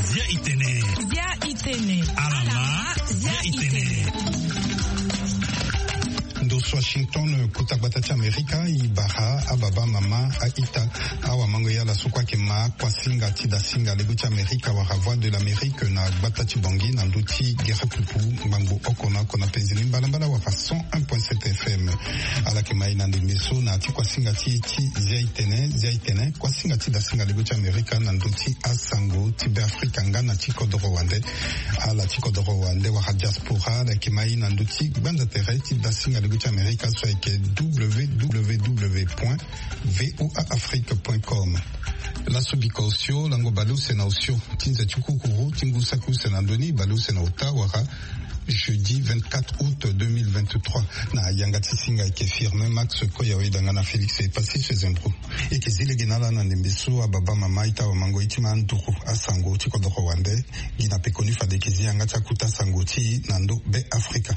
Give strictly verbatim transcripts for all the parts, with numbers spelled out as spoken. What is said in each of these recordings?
Zia itene. Zia itene. Alama. Zia itene. Ndo so Washington, kota gbata ti Amerika, e bara ababa, mama, a-ita, awamango, ya ala so kue ayeke ma akuasinga ti dasinga lege ti Amerika wala Voix de l'Amérique na gbata ti Bangui na ndö ti gere pupu ngbangbo oko na oko na penzi ni mbalambala wala cent un point sept F M. Ala yeke ma e na ndembe so na ya ti kuasinga ti e ti Zia itene, Zia itene, kuasinga ti dasinga lege ti Amerika na ndö ti asango ti Beafrika nga na ti kodoro wande. Ala ti kodoro wande wala diaspora, ala yeke ma e na ndö ti gbanda tere ti dasinga lege ti Amerika so ayeke W W W point V O A Afrique point com. Laso bika osio, lango baleuse na osio ti nze ti kukuru ti ngu saki use na ndö ni, baleuse na ota wala jeudi vingt-quatre août deux mille vingt-trois. Na yanga ti singa ayeke Firmin Max Koya, oyeda nga na Félix Epassis Zembro. E yeke zi lege na ala na ndembe so ababa, mama, a-ita, awamango, e ti ma nduru asango ti kodoro wande. Gi na pekoni fade e yeke zi yanga ti akuta sango ti e na ndö Beafrika.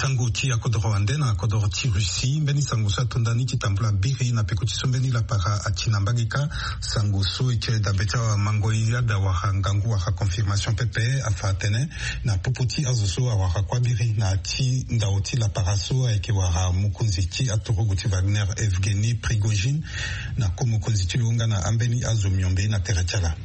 Sango ti akodoro wande na kodoro ti Russie. Mbeni sango so atonda ni ti tambula biri na peko ti so mbeni lapara ati na mbage kâ. Sango so e tiri dabe ti awamango, yada wala ngangu wala confirmation pepe, afa atene na popo ti azo so awara kuâ biri na ya ti ndao ti lapara so ayeke wara mokonzi ti aturugu ti Wagner, Evgeny Prigozhin, na ko mokonzi ti lo nga na ambeni azo miombe na tere ti ala.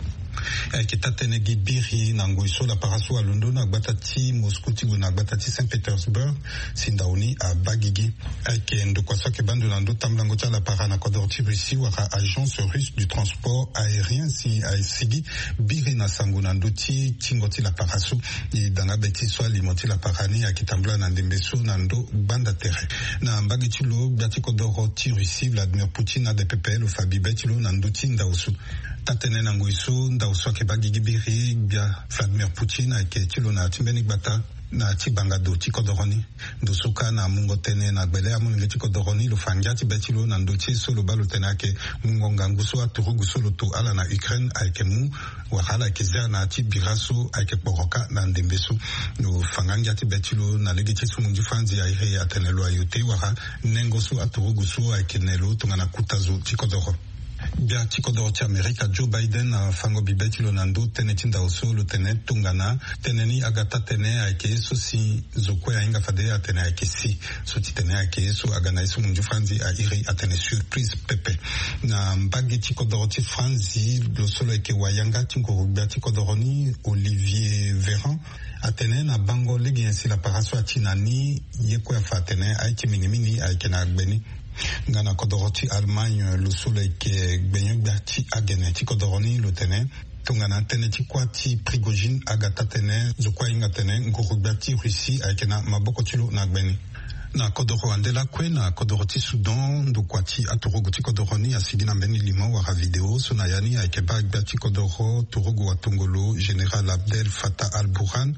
Ayeke taa-tënë gi biri na ngoi so lapara so alondo na gbata ti Moscou ti gue na gbata ti Saint-Pétersbourg, si ndao ni abaa gigi. Ayeke ndokua so ayeke baa ndo na ndö tambulango ti alapara na kodoro ti Russie wala Agence Russe du Transport Aérien, si asigi biri na sango na ndö ti tingo ti lapara so. E da nga be ti so alimo ti lapara ni ayeke tambula na ndembe so na ndö gbanda tere. Na mbage ti lo, gbia ti kodoro ti Russie Vladimir Poutine ade pepe lo fa bibe ti lo na ndö ti ndao so. Taa-tënë na ngoi so ndao so ayeke baa gigi biri, gbia Vladimir Poutine ayeke ti lo na ya ti mbeni gbata na ya ti bangado ti kodoro ni. Ndo so kâ na mungo tënë na gbele amolenge ti kodoro ni, lo fa ngia ti be ti lo na ndö ti so lo baa lo tene ayeke mungo ngangu so aturugu so lo to ala na Ukraine ayeke mu, wala ala yeke zia na ya ti bira so ayeke kporo kâ na ndembe so. Lo fa nga ngia ti be ti lo na lege ti so munzu franzi a iri atene lo ayo te wala nengo so aturugu so ayeke ne lo tongana kota zo ti kodoro. Gbia ti kodoro ti Amerika Joe Biden afango bibe ti lo na ndö tënë ti ndao so, lo tene tongana tënë ni aga taa-tënë ayeke ye so si zo kue ahinga fade atene ayeke si. So ti tene ayeke ye so aga na ye so munzu franzi a iri atene surprise pepe. Na mbage ti kodoro ti franzi, lo so lo yeke wayanga ti nguru gbia ti kodoro ni, Olivier Véran, atene na bango lege nyen si lapara so ati na ni, ye kue afa atene aye ti mingi mingi ayeke na gbe ni. Nga na kodoro ti Allemagne, lo so lo yeke gbenyo-gbia ti agene ti kodoro ni, lo tene tongana tënë ti kuâ ti Prigozhin aga taa-tënë, zo kue ahinga atene nguru gbia ti Russie ayeke na maboko ti lo na gbe ni. Na kodoro wande lakue, na kodoro ti Soudan, ndokua ti aturugu ti kodoro ni asigi na mbeni limo wala video so na ya ni ayeke baa gbia ti kodoro turugu watongolo Général Abdel Fattah al-Burhan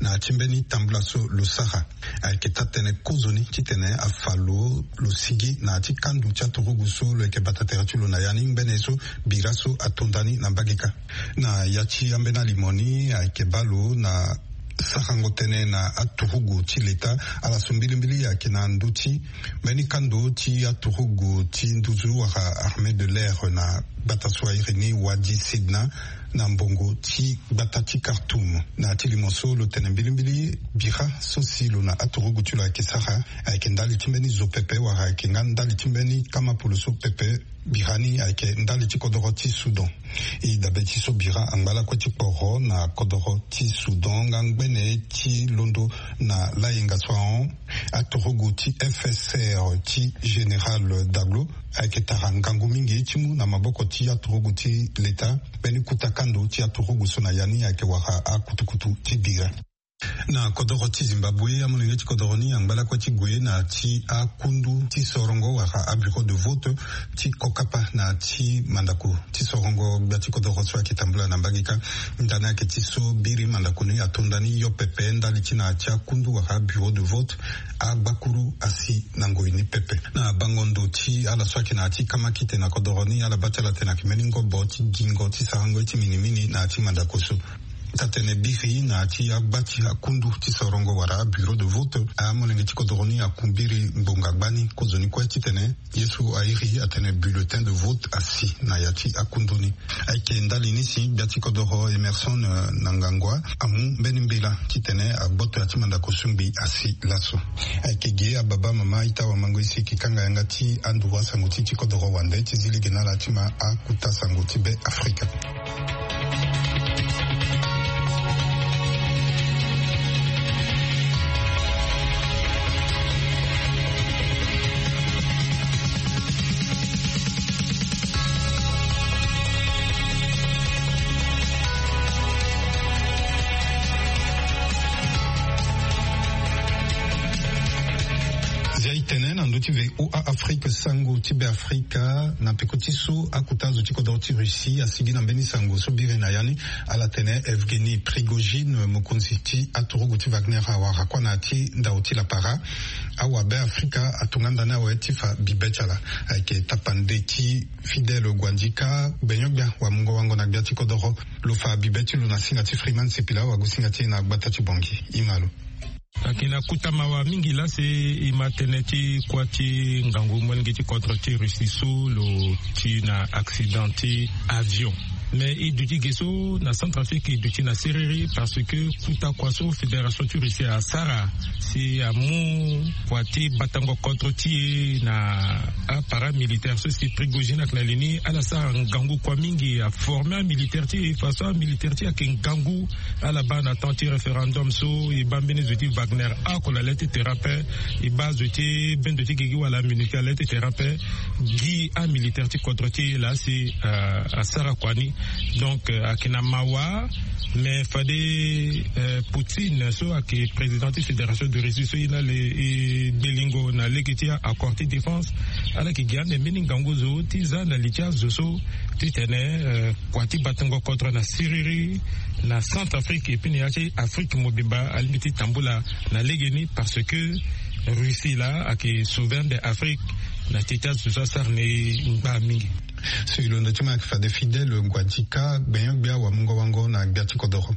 na ya ti mbeni tambula so lo sara. Ayeke taa-tënë kozoni titene afa lo, lo sigi na ya ti kando ti aturugu so lo yeke bata tere ti lo na ya ni, ngbene so bira so atonda ni na mbage kâ. Na ya ti ambeni alimo ni ayeke baa lo na sarango tënë na aturugu ti leta. Ala so mbilimbili ayeke na ndö ti mbeni kando ti aturugu ti nduzu wala armée de l'air na gbata so a iri ni Wadi Sidna, na mbongo ti gbata ti Khartoum. Na ya ti limo so lo tene mbilimbili bira so si lo na aturugu ti lo ayeke sara ayeke ndali ti mbeni zo pepe wala ayeke nga ndali ti mbeni kama polo so pepe. Bira ni ayeke ndali ti kodoro ti Soudan. E dabe ti so bira angba lakue ti kporo na kodoro ti Soudan nga ngbene ti londo na layenga so ahon, aturugu ti F S R ti Général Daglo ayeke tara ngangu mingi ti mu na maboko ti aturugu ti leta mbeni kota kando ti aturugu so na ya ni ayeke wara akutukutu ti bira. Na kodoro ti Zimbabwe, amolenge ti kodoro ni angba lakue ti gue na ya ti akundu ti sorongo wala abureau de vote ti kokapa na ya ti mandako ti sorongo gbia ti kodoro so ayeke tambula na mbage kâ. Ndani ayeke ti so biri mandako ni atonda ni yo pepe ndali ti na ya ti akundu wala abureau de vote, agbakuru asi na ngoi ni pepe. Na bango ndo ti ala so ayeke na ya ti kamakite na kodoro ni, ala baa ti ala tene ayeke mbeni ngobo ti gingo ti sarango ye ti minimini na ya ti mandako so. Atene biri na ya ti agba ti akundu ti sorongo wala abureau de vote, amolenge ti kodoro ni akumbiri ngbonga gbani kozoni kue titene ye so airi atene bulletin de vote asi na ya ti akundu ni. Ayeke ndali ni si gbia ti kodoro Emerson, eh, na ngangua amu mbeni mbela titene agboto ya ti mandako sungbi asi laso. Ayeke ge ababa mama ita wamango isi eke kanga yanga ti anduru asango ti ti kodoro wande ti zi lege na ala ti ma akuta sango ti be Afrika. Zia itene na ndö ti V O A Afrique, sango ti be Afrika, na peko ti so akuta zo ti kodoro ti Russie asigi na mbeni sango so biri na ya ni. Ala tene Evgeny Prigojine, mokonzi ti aturugu ti Wagner, awara kuâ na ya ti ndau ti lapara. Awabe Afrika atonga ndani awe ti fa bibe ti ala. Ayeke tapande ti Fidèle Guandika, gbenyo-gbia wamungo-wango na gbia ti kodoro. Lo fa bibe ti lo na singa ti Freeman Sipila, wagosinga ti e na gbata ti Bongi. E ma lo. Ayeke na kota mawa mingi laa si e ma tënë ti kuâ ti ngangu molenge ti kodro ti Russie so lo ti na accident ti avion. Mais e duti ge so na Centrafrique, e duti na siriri parce que kota kua so Fédération ti Russie asara si amu kua ti batango kodro ti e na aparamilitaire so si Prigojine ayeke na li ni, ala sara ngangu kua mingi, aforme amilitaire ti e, façon amilitaire ti e ayeke ngangu. Ala baa na temps ti référendum so e baa mbeni zo ti Wagner oko na le ti terrain ape, e baa zo ti bendo ti gigi wala MINUSCA na le ti terrain ape, gi amilitaire ti kodro ti e laa si, euh, asara kua ni. Donc, euh, ayeke na mawa. Mais fade, euh, Poutine so ayeke président ti Fédération de Russie so e na le e gbelingo na lege ti accord ti défense, ala yeke gi ande mbeni ngangu zo ti za na li ti azo so titene, euh, kua ti batango kodro na siriri na Centrafrique et puis na ya ti Afrique mobimba alingbi ti tambula na legeni, parce que Russie laa ayeke souverain de Afrique na ti ti azo so asara na e ngba mingi. So e londo ti ma ayeke fade Fidèle Guadika, gbenyo-gbia wamungo-wango na gbia ti kodoro.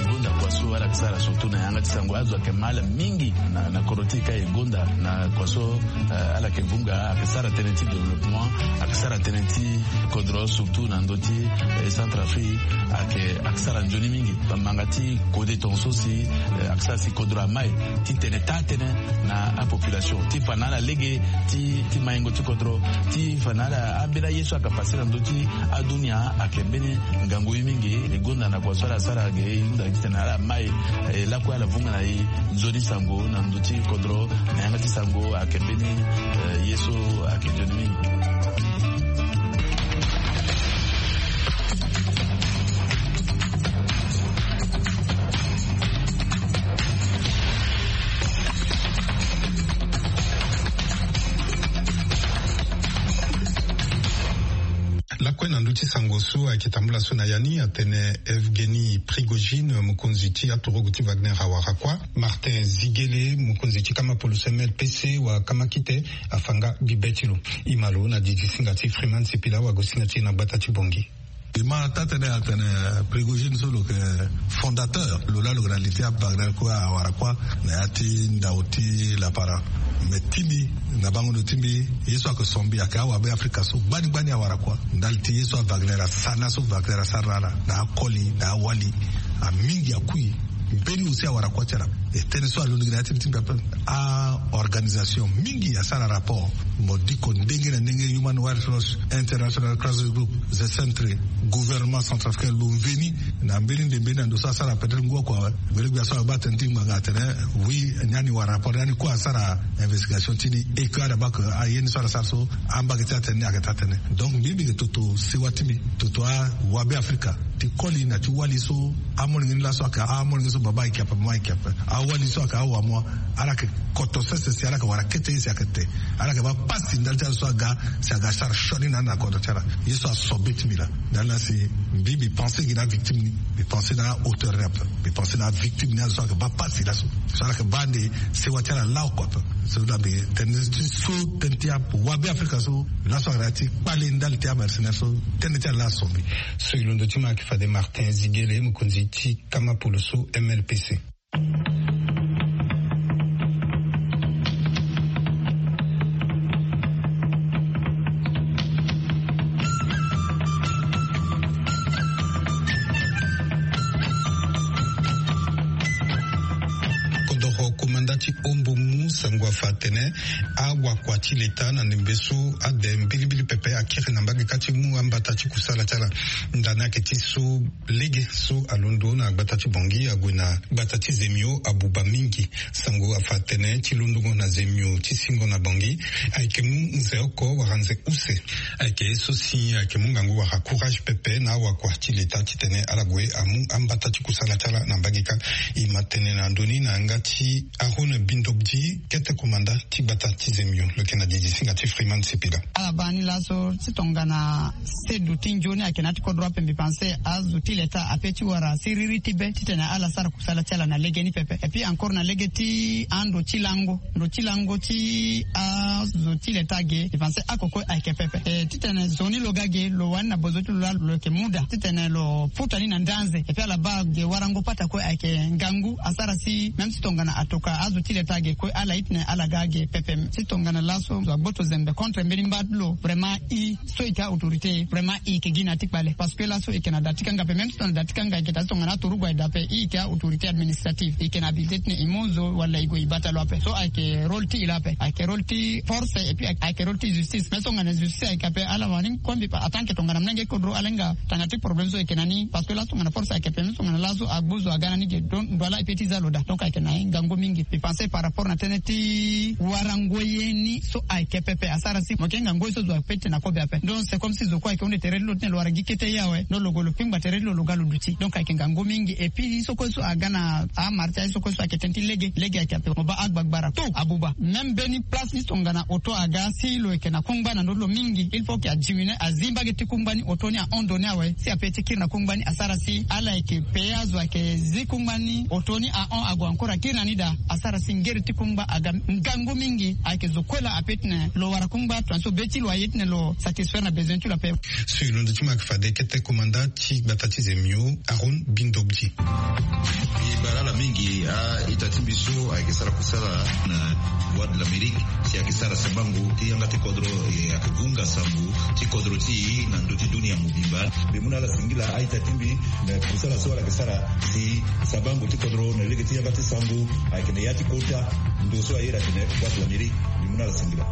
E gonda kua so ala yeke sara surtout na yanga ti sango, azo ayeke ma ala mingi na, na kodro ti e ka e gonda na kua so, eh, ala yeke vunga, ayeke sara tënë ti développement, ayeke sara tënë ti kodro surtout na ndö ti, eh, Centrafrique, ayeke, ayeke sara nzoni mingi. Bambanga ti kode tongaso si, eh, ayeke sara si kodro amai ti tene taa tënë na apopulation ti fa na ala lege ti, ti maingo ti kodro, ti fa na ala ambeni aye so ayeke pase na ndö ti adunia, ayeke mbeni ngangu ye mingi. E gonda na kua so ala sara ge, e hunda titene ala mai, eh, lakue ala vunga na e nzoni sango na ndö ti kodro, na yanga ti sango ayeke mbeni, eh, ye so ayeke nzoni mingi. Lakue na ndö ti sango so ayeke tambula so na ya ni, atene Evgeny Prigojine, mokonzi ti aturugu ti Wagner, awara kuâ. Martin Zigele, mokonzi ti kama poloso M L P C wa kama kite, afa nga bibe ti lo. E ma lo na didi singa ti Freeman Sipila, wagosinga ti e na gbata ti Bongi. E ma taa tënë atene Prigojine so lo yeke fondateur, lo laa lo yeke na li ti aWagner kue, awara kuâ na ya ti ndau ti lapara. Me ti mbi, na bango ndo ti mbi, ye so ayeke so mbi ayeke awabe Afrika so gbani gbani awara kuâ. Ndali ti ye so aWagner asara na so Wagner asara na ala, na akoli, na awali, amingi akui. Mbeni aussi awara kuâ ti ala. E tënë so alondo gi na ya ti mbi ti mbi ape. Aorganisation mingi asara rapport. Mo diko ndenge na ndenge, Human Rights Watch, International Crisis Group, The Sentry, gouvernement centrafricain lo mveni na mbeni nde mbeni na ndo so asara peut-être ngu oko awe. Gbele gbia so abaa tënë ti ngbanga atene, oui, ni ani wara rapport, ni ani kue asara investigation ti ni, et que ala baa que aye ni so ala sara so, ambage ti atënë ni ayeke taa tënë. Donc mbi mbi yeke toto sewa ti mbi, toto awabe Afrika, ti koli na ti wali so Amolenge ni laso aka amolenge so baba ayeke ape mama ayeke ape. Awali so aka awamoa. Ala yeke koto sese si ala yeke wara kete ye si ayeke te. Ala yeke baa pasi ndali ti ala so aga si aga sara sioni na ala na kodro ti ala. Ye so asobe ti mbi laa ndali laa si mbi mbi pense gi na avictime ni. Mbi pense na ahauteur ni ape. Mbi pense na avictime ni ala so ayeke baa pasi laso. So ala yeke baa ande sewa ti ala laa oko ape. So laa mbi tene ti so tënë ti awabe afrika so. Laso ayeke na ya ti kpale ndali ti amercenaire so. Tënë ti ala laa asobe. So e londo ti mo ayeke fade martin zigele mokonzi ti kama polo so mlpc. Kodoro komanda ti ombo mu sango afa atene awakua ti leta na ndembe so ade mbilimbili pepe akiri na mbage kâ ti mu ambata ti kusala ti ala. Ndani ayeke ti so lege so alondo na gbata ti bongi ague na gbata ti zemio abuba mingi. Sango afa tene ti londongo na zemio ti singo na bongi ayeke mu nze oko wala nze use. Ayeke ye so si ayeke mu ngangu wala courage pepe na awakua ti leta titene ala gue amu ambata ti kusala ti ala na mbage kâ. E ma tene na ndö ni na yanga ti aron bindobdi kete komanda ti gbata ti zemio lo yeke na didi singa ti freeman sipila. Ala baa ni laso ti tongana sedu ti nzoni ayeke na ya ti kodro ape mbi pense azo ti leta ape ti wara siriri ti be titene ala sara kusala ti ala na lege ni pepe et puis encore na lege ti ando ti lango ndo ti lango ti azo ti leta ge mbi pense oko kue ayeke pepe. Titene zo ni lo ga ge lo wani na bozo ti lo laa lo yeke mu daa titene lo futa ni na ndanze et puis ala baa ge warango pata kue ayeke ngangu asara si même si tongana atoka azo ti leta ge kue ala ye titene ala ga ge pepe. Si tongana laso zo agboto zembe contre mbeni mba ti lo vraiment i so e yeke autorité vraiment e yeke gi na ya ti kpale parce que laso e yeke na da ti kanga ape même si tongana da ti kanga e yeke daa si tongana atorugu aye daa ape e yeke autorité administrative e yeke na abilité titene e mu zo wala e gue e bata lo ape so ayeke rôle ti e laa ape ayeke rôle ti force et puis ayeke rôle ti justice mais so tongana justice ayeke ape ala wani kue mbi pa atanke tongana mlenge kodro ala hinga tanga ti problème so e yeke na ni parce que laso tongana force ayeke ape même so tongana laso agbu zo aga na ni ge donc ndo ala e pe ti za lo daa donc ayeke na ye ngangu mingi mbi pense par rapport na tënë ti warango ye ni so ayeke pepe asara si mo yeke hinga ngoi so zo ape ti tene na kobe ape donc c'est comme si zo kue ayeke hunde tere ti lo titene lo wara gi kete ye awe ndo lo gue lo kpingba tere ti lo lo ga lo duti donc ayeke ngangu mingi et puis ye so kue so aga na amara ti aye so kue so ayeke tënë ti lege lege ayeke ape mo baa agbagbara tout abuba même mbeni place ni tongana oto aga si lo yeke na kungba na ndö ti lo mingi il faut ke adiminue azi mbage ti kungba ni oto ni ahon ndo ni awe si ape ti kiri na kungba ni asara si ala yeke pe azo ayeke zi kungba ni oto ni ahon ague encore akiri na ni daa asara si ngeri ti kungba aga ngangu mingi ayeke zo kue laa ape titene lo wara kungba tongaso be ti lo aye titene lo satisfaire na besoin ti lo ape. So e londo ti mo ayeke fade kete komanda ti gbata ti zemio aron bindobdi. E bara ala mingi a-ita ti mbi so ayeke sara kusala na voie de l'amérique si ayeke sara sabango ti yanga ti kodro e ayeke vunga sango ti kodro ti e na ndö ti dunia mobimba. Mbi mu na ala singila a-ita ti mbi na kusala so ala yeke sara si sabango ti kodro na lege ti yanga ti sango ayeke na ya ti kota ndo so ayeda atene voie de l'amérique. Mbi mu na ala singila.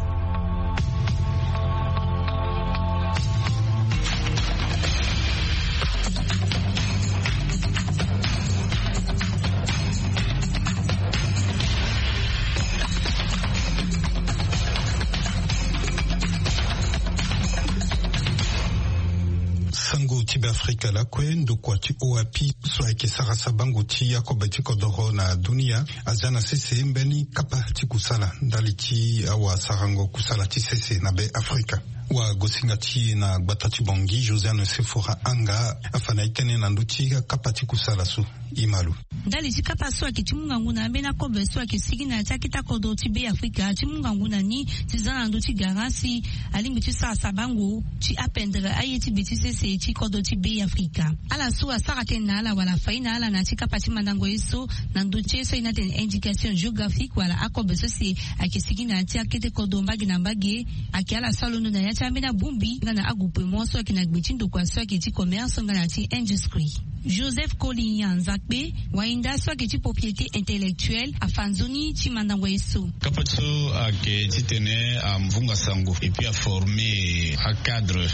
Sango ti beafrika lakue ndokua ti oapi so ayeke sara sabango ti akobe ti kodoro na dunia azia na sese mbeni kapa ti kusala ndali ti awasarango kusala ti sese na beafrika. Wagosinga ti e na gbata ti bongi josiane sefora anga afa na e tënë na ndö ti akapa ti kusala so. Imalu ndali ti kapa so ayeke ti mu ngangu na ambeni akobe so ayeke sigi na ya ti akete akodro ti be afrika ti mu ngangu na ni ti za na ndö ti gara si alingbi ti sara sabango ti apendre aye ti be ti sese ti kodro ti be afrika. Ala so asara tënë na ala wala afai na ala na ya ti kapa ti mandango ye so na ndö ti ye so ayeke na tene indication géographique wala akobe so si ayeke sigi na ya ti akete kodro mbage na mbage. Ayeke ala so alondo na ya ti ambeni abongbi nga na agroupement so ayeke na gbe ti ndokua so ayeke ti commerce nga na ya ti industrie. Joseph kolinya nzakpe wainda so ayeke ti propriété intellectuelle afa nzoni ti mandango ye so. Kapa ti so ayeke titene amvunga sango et puis aforme acadre,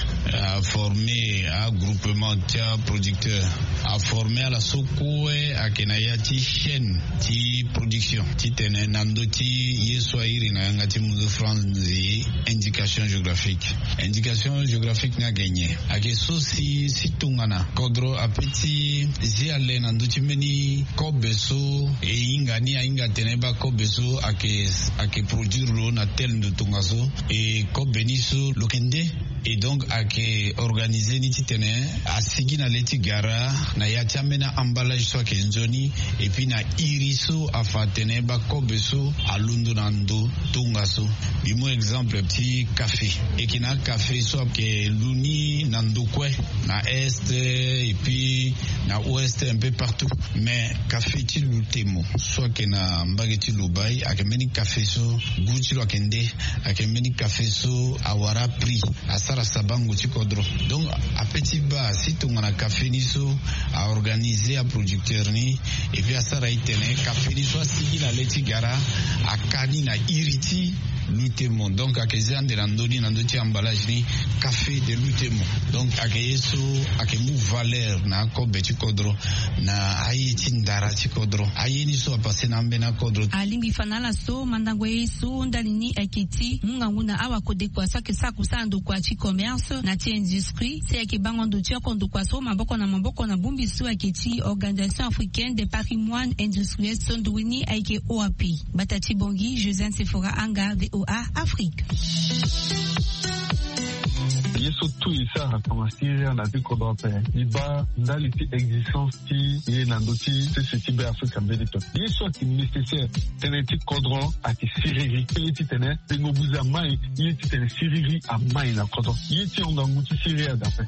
aforme agroupement ti aproducteur, aforme ala so kue ayeke na ya ti chaîne ti production titene na ndö ti ye so airi na yanga ti munzu franzi indication géographique. Indication géographique ni ayeke nyen? Ayeke so si si tongana kodro ape ti zi ale na ndö ti mbeni kobe so e hinga ni ahinga atene baa kobe so ayeke ayeke produire lo na tel ndo tongaso. E kobe ni so lo yeke nde. Et donc ayeke organiser ni titene asigi na le ti gara na ya ti ambeni emballage so ayeke nzoni. Et puis na iri so afa atene baa kobe so alondo na ndo tongaso. Mbi mu exemple ti kafe. E yeke na akafe so ayeke lu ni na ndo kue, na est et puis na ouest, un peu partout. Mais kafe ti lutemo so ayeke na mbage ti lobai ayeke mbeni kafe so gu ti lo ayeke nde. Ayeke mbeni kafe so awara prix, asara sabango ti kodro. Donc ape ti baa si tongana kafe ni so a organiser aproducteur ni, et puis asara e tene kafe ni so asigi na le ti gara aka ni na iri ti lutemo. Donc ayeke zia ande na ndö ni na ndö ti emballage ni, kafe de lutemo. Donc ayeke ye so ayeke mu valeur na akobe ti kodro, na aye ti ndara ti kodro, aye ni so apase na ambeni akodro. Alingbi fa na ala so mandango ye so ndali ni ayeke ti mu ngangu na awakodekua so ayeke sara kusala ndokua ti commerce na ti industrie, si ayeke bango ndo ti oko ndokua so maboko na maboko na bongbi so ayeke ti organisation africaine de patrimoine industriel so nduru ni ayeke oap. Bata ti bongi josiane sefora anga voa afrique. Ye so tout e sara tongana siria na ti kodro ape, e baa ndali ti existence ti ye na ndö ti sese ti be afrika mbeni to. Ye so ayeke nécessaire tënë ti kodro ayeke siriri. Ye titene tengo buze amai, ye titene siriri amai na kodro. Ye ti hon ngangu ti siria dape.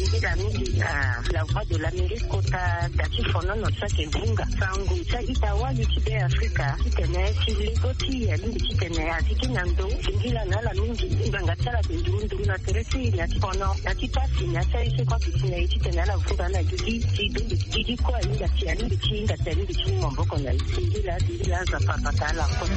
Ndila mingi na la voix de l'amérique kota da ti fonono so ayeke vunga sango ti a-ita wali ti be afrika titene ti lego ti e alingbi titene azi ti na ndo. Ndila na ala mingi ngbanga ti ala ayeke nduru nduru na tere ti e na ti fono na ti pasi na ti aye so kue ayeke si na e titene ala vunga na gigi ti dongi gigi kue ahinga si alingbi ti hinga si alingbi ti mu maboko na e. Ndila ndila aza papa ta ala kue.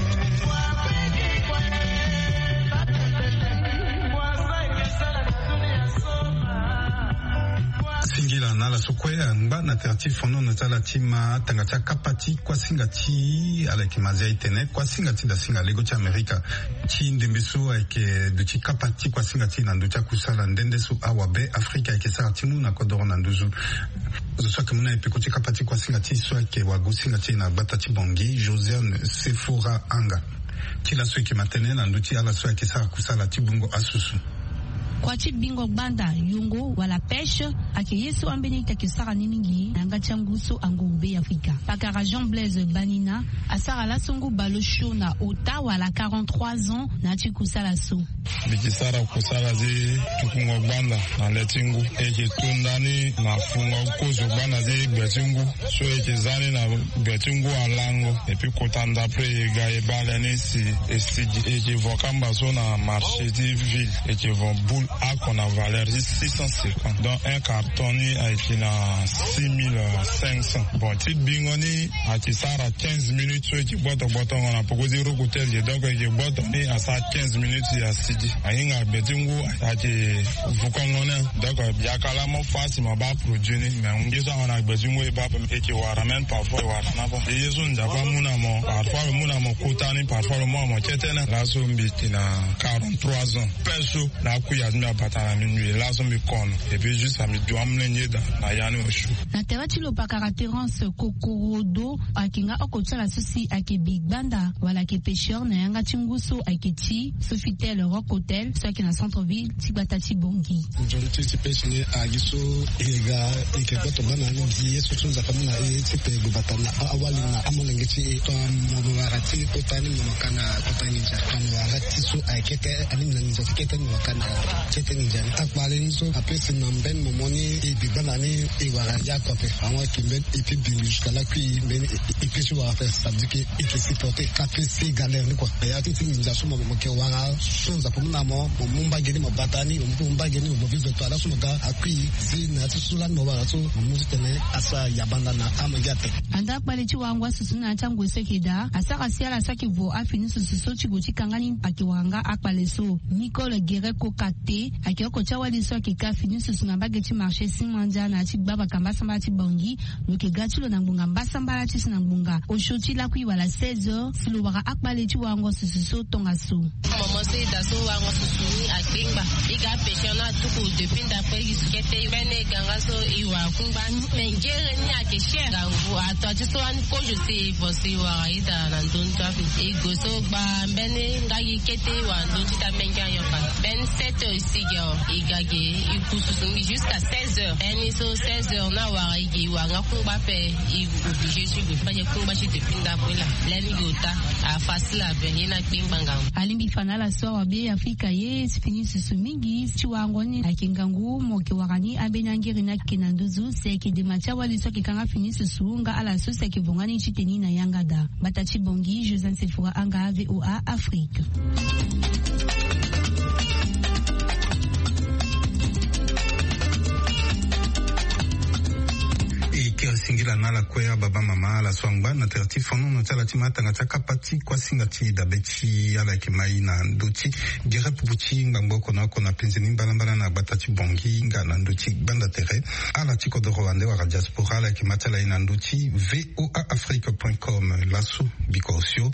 Singila na ala so kue angba na tere ti fonono ti ala ti ma tanga ti akapa ti kuasinga ti ala yeke ma zia e tene kuasinga ti dasinga lego ti amerika ti ndembe so ayeke duti kapa ti kuasinga ti na ndö ti akusala nde nde so awabe afrika ayeke sara ti mu na kodoro na nduzu. Zo so ayeke mu na e peko ti kapa ti kuasinga ti so ayeke wagosinga ti e na gbata ti bongi josiane sefora anga. Ti laso e yeke ma tënë na ndö ti ala so ayeke sara kusala ti bungo asusu. Kua ti bingo gbanda yongo wala pêche ayeke ye so ambeni ita ayeke sara ni mingi na yanga ti angu so anguru be ya afrika. Pakara jean blaise banina asara laso ngu baleosio na ota wala quarante-trois ans na ya ti kusala so. Mbi yeke sara kusala ti tukungo gbanda na le ti ngu e yeke tu ndani na fungo kozo gbanda ti gbe ti ngu so e yeke za ni na gbe ti ngu alango. Epui kota ndapre e ga e baa le ni si e sigi e yeke vo kamba so na marché ti ville e yeke vo boule ako na valeur ti six cent cinquante donc un carton ni ayeke na six mille cinq cents. Bon ti bingo ni ayeke sara quinze minutes so e yeke gboto gbotongo na poko ti roko ti e yeke donc e yeke gboto ni asara quinze minutes e asigi ahinga gbe ti ngu ayeke vukongo ni. Donc biaka laa mo fâ si mo baa produit ni mais ngu ye so ahon na gbe ti ngu e baa ape e yeke wara même parfois e wara na ape. E ye so nzapa amu na mo parfois lo mu na mo kota ni parfois lo mu na mo kete ni laso mbi yeke na quarante-trois ans. Pêche so na akui ya ti mbi abata na mbi mbi laso mbi kono. Epui juste mbi du amolenge daa na ya ni osio. Na tere ti lo pakara terence kokorodo ayeke nga oko ti ala so si ayeke bi gbanda wala ayeke pêcheur na yanga ti ngu so ayeke ti sofitel rock hotel so ayeke na centre ville ti gbata ti bongi. Nzoni ti ti pêche ni agi so e ga e yeke gboto gbanda ni gi ye so so nzapa mu na e ti pe gbata na awali na amolenge ti e. Tongana mo wara ti kota ni mo ka na kota nginza tongana mo wara ti so ayeke kete alingbi na nginza ti kete ni mo ka na kete nginza ni akpale ni so apesi na mbeni momo ni e bi gbanda ni e wara ya kope. Awa eke mbeni e pi bingo jusque lakui mbeni e pi si wara ape ça veut dire ke e ke supporter ka pe si galère ni kua. Ya ti ti nginza so mo mo ke wara so nzapa mu na mo mo mu mbage ni mo bata ni mo mu mbage ni mo vive to ala so mo ga akui si na ya ti so lani mo wara so mo mu titene asara yabanda na amange ape. Anda akpale ti warango asusu na ya ti angoi so eke daa asara si ala so ake vo afini susu so ti gue ti kanga ni ake wara nga akpale so. Nicole guerre kokate. Ayeke oko ti awali so ayeke ka fini susu na mbage ti marché Simandia na ya ti gbabaka mbasambala ti Bangui. Lo yeke ga ti lo na ngbonga mbasambala ti si na ngbonga osio ti lakui wala seize heures si lo wara akpale ti warango susu so tongaso. Momo so e daa so warango susu ni akpengba. E ga pêcheur ni atuku depuis ndapre gi kete mbeni e ga nga so e wara kungba ni. Me ngere ni ayeke cher. Ngangu ato ti so ani kozo si e vo si e wara e daa na ndö ni so ape. E gue so gba mbeni nga gi kete e wara ndö ni ti daa menge ayo fa. Mbeni sept heures e si gi awe. E ga gi e ku susu ni jusqu'à seize heures. Mbeni so seize heures ni awara e gi e wara nga kungba ape. E obligé ti gue fade kungba ti depuis ndapre laa. Lani gi ota. Afasila ape ye ni akpengba ngangu. Alingbi fa na ala so awa be Afrika ye ti fini susu mingi ti warango ni ayeke ngangu mo yeke wara ni ambeni angiri ni ayeke na nduzu si ayeke dema ti awali so ayeke ka nga fini susu nga ala so si ayeke vo nga ni ti teni na yanga daa. Mbata ti Bangui, Josiane Sephora Anga, V O A Afrique. E kiri singila na ala kue ababa mama ala so angba na tere ti fonono ti ala ti matanga ti akapa ti kuasinga ti dabe ti ala yeke mai na ndö ti gere pupu ti ngbangbo oko na oko na penze ni mbalambala na gbata ti Bangui nga na ndö ti gbanda tere. Ala ti kodoro ande wala diaspora ala yeke ma ti ala ye na ndö ti V O A Afrique point com. Laso biko osio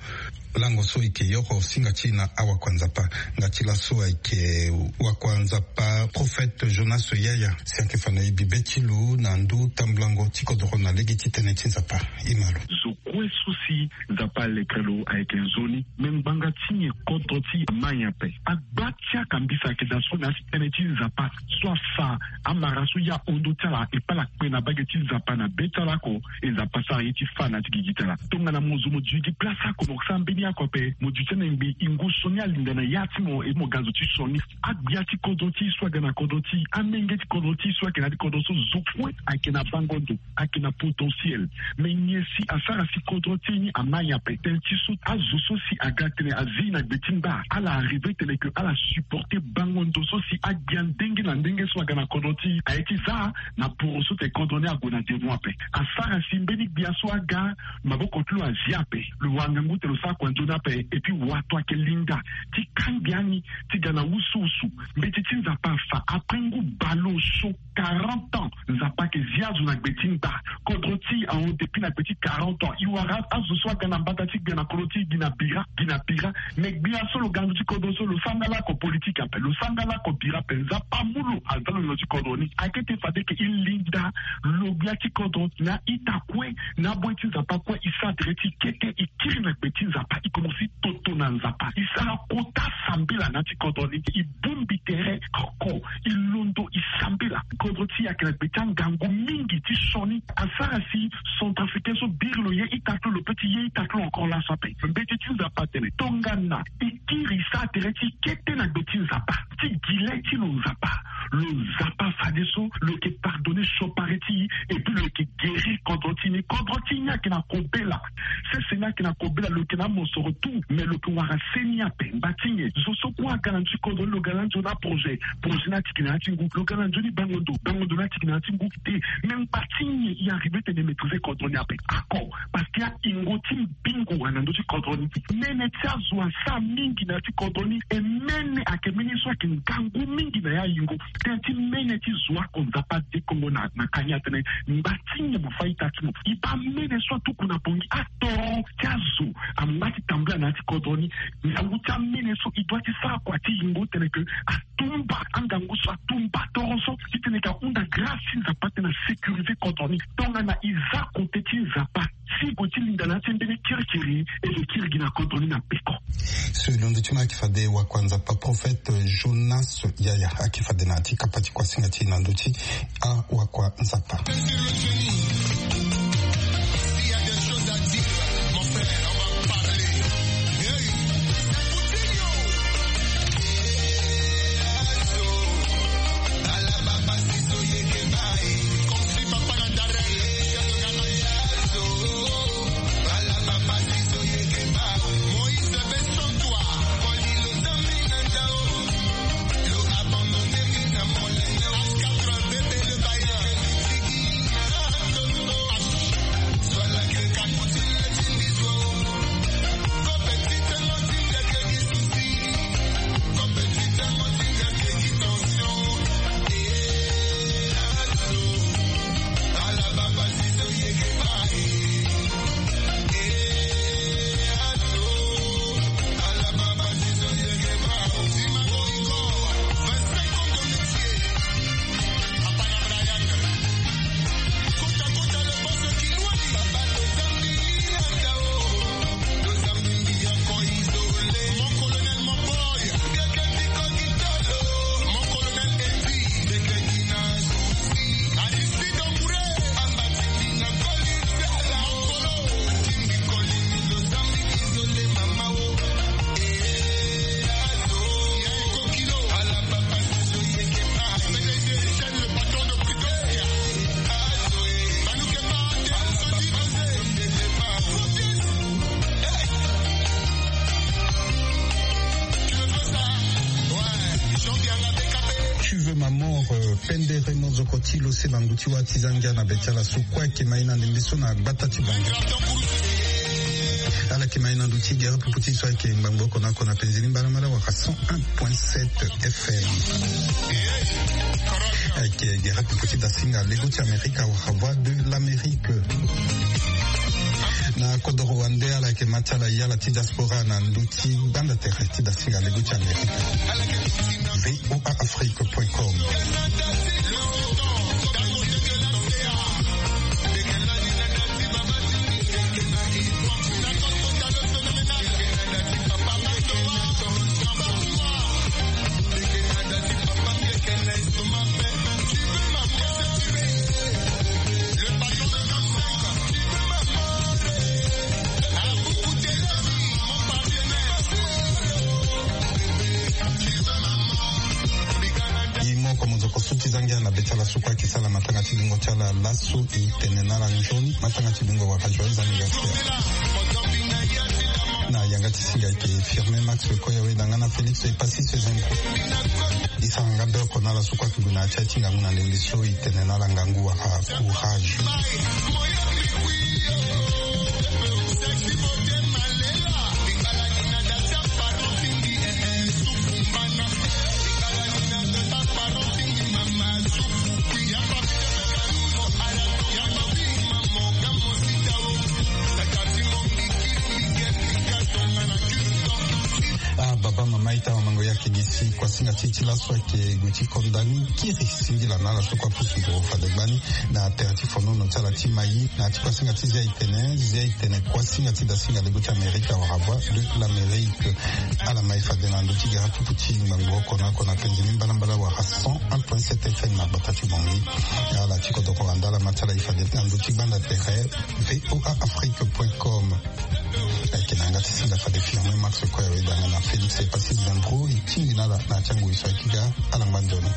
lango so e yeke yoro singa ti e na awakua nzapa. Nga ti laso ayeke wakua nzapa Prophète Jonas Yaya si ayeke fa na e bibe ti lo na ndö tambulango ti kodoro na lege ti tënë ti nzapa. E ma lo. Zo kue so si Nzapa alekere lo ayeke nzoni. Me ngbanga ti nyen kodro ti e amai ape? Agba ti akambisa ayeke daa so na ya ti tënë ti Nzapa so afa amara so ya hondo ti ala e pala kpe na mbage ti Nzapa na be ti ala oko. E Nzapa asara ye ti fâ na ya ti gigi ti ala. Tongana mo zo mo duti gi place oko mo sara mbeni oko ape, mo duti na ngbi ingo sioni alinda na ya ti mo e mo ga zo ti sioni. Agbia ti kodro ti e so aga na kodro ti e, amenge ti kodro ti e so ayeke na ya ti kodro so, zo kue ayeke na bango ndo, ayeke na potentiel. Me nyen si asara si kodro ti e ni amai ape? Tënë ti so azo so si aga tene azi na gbe ti ngba, ala arrive tene ke ala supporter bango ndo so si agbia ndenge na ndenge so aga na kodro ti e. Aye ti za na poro so tene kodro ni ague na devant ape. Asara si mbeni gbia so aga, maboko ti lo azi ape, lo wara ngangu tene lo sara kua nzoni ape. Et puis wato ayeke linda ti kangbi ani ti ga na wusuwusu. Mbeti ti Nzapa afa après ngu baleoso quarante ans. Nzapa ayeke zi azo na gbe ti ngba. Kodro ti e ahon depuis na gbe ti quarante ans. E wara azo so aga na mbata ti gbe na kodro ti e gi na bira, gi na bira. Me gbia so lo ga na ndö ti kodro so, lo sara nga lako politique ape, lo sara nga lako bira ape. Nzapa amu lo aza lo na ndö ti kodro ni. Akete fade ke e linda lo gbia ti kodro na ita kue, na aboyi ti Nzapa kue. E sara tere ti e kete, e kiri na gbe ti Nzapa, e komanse toto na Nzapa. E sara kota sambela na ya ti kodro ni. E bongbi tere oko, e londo, e sambela. Kodro ti e ayeke na gbe ti angangu mingi ti sioni. Asara si centrafricain so biri lo ye ita ti lo, lo pe ti ye ita ti lo encore laso ape. Mbeti ti Nzapa atene tongana e kiri, e sara tere ti e kete na gbe ti Nzapa, ti gi le ti lo Nzapa, lo Nzapa fadeso lo yeke pardonner siokpari ti e, et puis lo yeke guérir kodro ti e ni. Kodro ti e ni ayeke na kobela. Sese ni ayeke na kobela, lo yeke na amosoro tout, mais lo yeke wara seni ape. Ngba ti nyen? Zo so kue aga na ndö ti kodro ni, lo ga na nzoni aprojet, projet ni atiki na ya ti ngu. Lo ga na nzoni bango ndo, bango ndo ni atiki na ya ti ngu. Te, me ngba ti nyen e arrive tene e maîtriser kodro ni ape? Ako, parce que ayingo ti mbingo wara na ndö ti kodro ni. Mene ti azo asara mingi na ya ti kodro ni. E mene ayeke mene so ayeke ngangu mingi na ya yingo. Tënë ti mene ti zo oko Nzapa adekongo na, na kani atene ngba ti nyen mo fâ ita ti mo? E baa mene so atuku na Bangui, atoro ti azo angba ti tambula na ya ti kodro ni. Ngangu ti amene so e doit ti sara kua ti yingo tene ke atumba angangu so, atumba toro so, titene e ga hunda grâce ti Nzapa titene a sécuriser kodro ni. Tongana e za kote ti Nzapa, si e gue ti linda na ya ti mbeni kirikiri, e yeke kiri gi na kodro ni na peko. So e londo ti mo ayeke fade wakua Nzapa Prophète Jonas Yaya ayeke fade na ya ti kapa ti kuasinga ti e na ndö ti awakua Nzapa. Tu veux ma mort, euh, pendere mozoko ti lo se bangu ti wa ti zangia na be ti ala so kue ayeke ma ye na ndembe so na gbata ti bango. Ala yeke ma ye na ndö ti gere pupu ti so ayeke ngbangbo oko na oko na penzi ni mbalambala wala cent un point sept F M. Ayeke gere pupu ti dasinga lego ti Amerika wala Voix de l'Amérique. Na kodoro wande ala yeke ma ti ala ye ala ti diaspora na ndö ti gbanda tere ti dasinga lego ti Amerika. V O A Afrique point com. E moko mo zo ko su ti zangia na be ti ala so kue ayeke sara matanga ti bingo ti ala laso. E tene na ala nzoni matanga ti bingo wala joyeux anniversaire. Na yanga ti singa ayeke Firmin Max Koya Weda nga na Félix Epassis Zembo. E sara nga be oko na ala so kue ayeke gue na ya ti aye ti ngangu na ndembe so. E tene na ala ngangu wala courage. Ah, baba, mama, ita, mamango, ya, kigisi, kuasinga ti e ti laso ayeke gue ti konda ni kiri singila na ala so kue apusu nduru fade gbani na tere ti fonono ti ala ti Mayi. Na ya ti kuasinga ti Zia Itene, Zia Itene, kuasinga ti dasinga lego ti Amerika wala Voix de l'Amérique. Ala ma e fade na ndö ti gara tutu ti ngbangbo oko na oko na penzi ni mbalambala wala cent un point sept F M na gbata ti Bangui. Ala ti kodoro wande ala ma ti ala e fade na ndö ti gbanda tere V O A Afrique point com. Ayeke na yanga ti singa fade Firmin Max Koya Weda nga na Félix Epassis Zembro e tingbi na ala na ya ti angoi so ayeke ga. Ala ngba nzoni.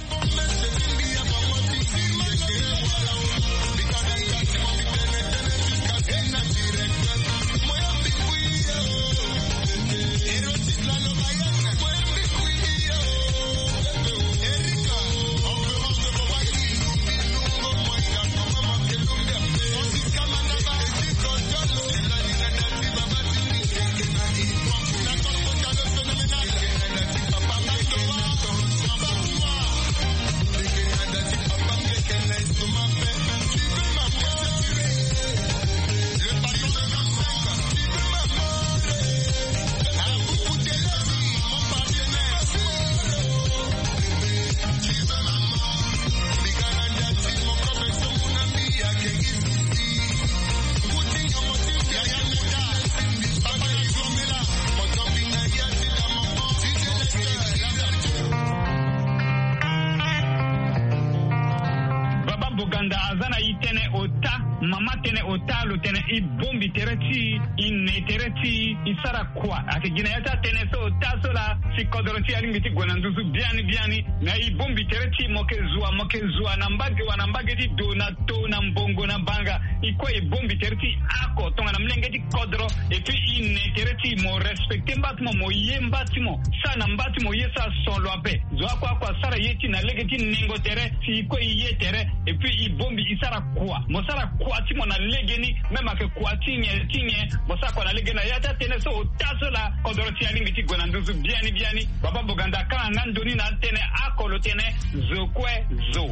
Baba Boganda aza na e tënë ota, mama tënë ota, lo tene e bombi tere ti e, e ne tere ti e, e sara kua. Ayeke gi na ya ti atënë so ota so laa, si kodoro ti e alingbi ti gue na nduzu biani biani. Na e bombi tere ti e, mo yeke zua, mo yeke zua na mbage wa na mbage ti do na to na mbongo na banga. E kue e bombi tere ti e oko tongana molenge ti kodro. Et puis e ne tere ti e, mo respecter mba ti mo, mo ye mba ti mo, sara na mba ti mo ye, sara son lo ape. Zo oko oko asara ye ti e na lege ti nengo tere, si e kue e ye tere. Et puis e bombi e sara kua, mo sara kua ti mo na legeni, même ayeke kua ti nyen ti nyen, mo sara kua na legeni. Na ya ti atënë so ota so laa, kodro ti e alingbi ti gue na nduzu biani biani. Baba Boganda akanga nga ndoni na atënë oko lo tene zo kue zo.